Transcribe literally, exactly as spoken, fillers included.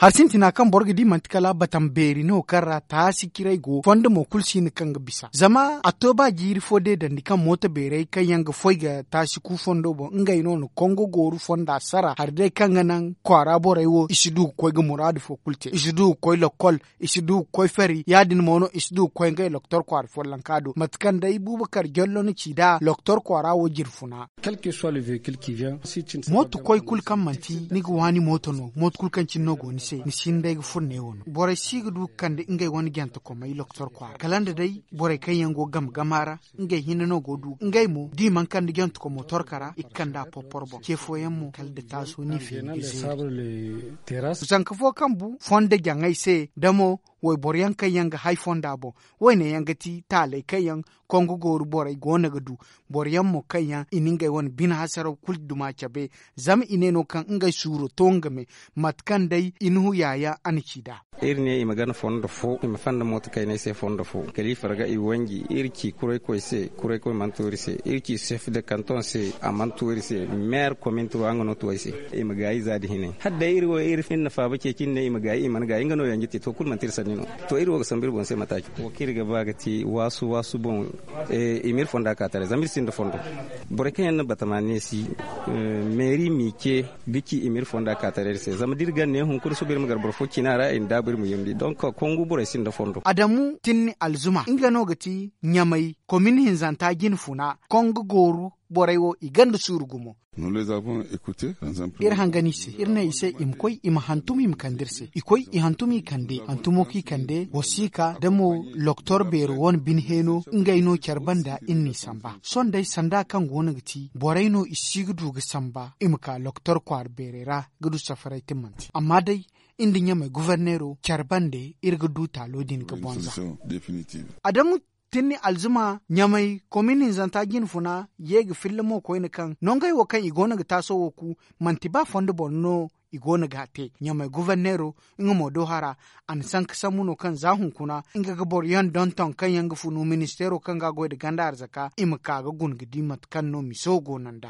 Hari sintina kaŋ boro ga di manti kala batam beeri no kaŋ ra taasi ciray go fondo mo kulu si hin kaŋ ga bisa zama a to ba jiiri fo deedandi kaŋ mooto beerey kaŋ yaŋ ga foy ga taasi ku fondo boŋ ngey no na kongo gooru fonda sara hari day kaŋ ga naŋ kwaara borey wo i si du ga koy ga muraadu fo kulu te i si du ga koy lokkol i si du ga koy fari ya- din mo no i si du ga koy ngey loktor kwaara follonka do mate kaŋ day buubakar jallo na ci nd'a loktor kwaara wo jirfuna. Mooto koy kulu kaŋ manti ni ga waani mooto no mooto kulu kaŋ cine no go ni se ni si hin day ga furo neewo no borey si ga du ga kande ngey wane jantekomey loktor kwaara kala nda day borey kaŋ yaŋ go game gama ra ngey hinne no go du ngey mo da i mana kande jantekomo torka ra i ga kande a porporo boŋ ce fooyaŋ mo kala nda taaso ni feeri ga zeeri. Zanka fo kaŋ bu fondo jaŋay se da mo wayboro yaŋ kaŋ yaŋ ga hay fonda boŋ wayne yaŋ ga ti taaley kaŋ yaŋ kongo gooru borey go no ga du boro yaŋ mo kaŋ yaŋ i na ngey wane bine hasaraw kulu duma cabe zama i ne no kaŋ ngey suuro to nga me mate kaŋ day i na huya yaŋ a na ci nd'a. Iri ne i ma gana fondo fo i ma fanda mooto kayney se fondo fo kala i farga i wanji iri ci kuraykoy se kuraykoy mana to iri se iri ci sef de kanton se a mana to iri se meer komin turu nga no to ay se i ma gaayi za da hinay hala day iri wo iri hinne faaba ceeci nda ne i ma gaayi i mana gaayi nga no yanji te to kulu manti iri sanni no. To iri wo ga sambu iri boŋ se mataaci wo kaŋ iri ga ba ga te waasu waasu boŋ i ma iri fonda ka taray zama iri sinda fondo. Borey kaŋ yaŋ na batama neesi meeri m'i ce ga ci i ma iri fonda ka taray iri se zama da iri gana ne hunkuna suba iri ma gar boro fo cina ra i na daabu iri ma yumbi donk kongu borey sinda fondo. Adamu tinni alzuma nga no ga ti ɲamay komin hinzanta jine funa kongu gooru borey wo i ganda suuru gumo. Iri hangan i se iri ne i se i ma koy i ma hantum i ma kande iri se i koy i hantum i kande hantumo kaŋ i kande wasiika da mo loktor beero wane bine heeno ngey no care banda iri n'i samba sohõ day sanda kaŋ go no ga ti borey no i si ga du ga samba i ma ka loktor kwaara beerey ra ga du safaray timmante amma day iri nda ɲamay goforneero care bande iri ga du taalo din ga bonza. Adamu tinni alzuma ɲamay komin hinzanta jine funa ye ga filla mo koyne kaŋ nongey wo kaŋ i go no ga taaso wo ku manti ba fondo boro no i go no ga a te ɲamay goforneero nga mo do hara a na sanka sambu no kaŋ za hunkuna nga ga boro yaŋ donton kaŋ yaŋ ga funu ministeero kaŋ ga a goy nda ganda arzaka i ma ka ga guna ga di mate kaŋ no miso go no nd'a.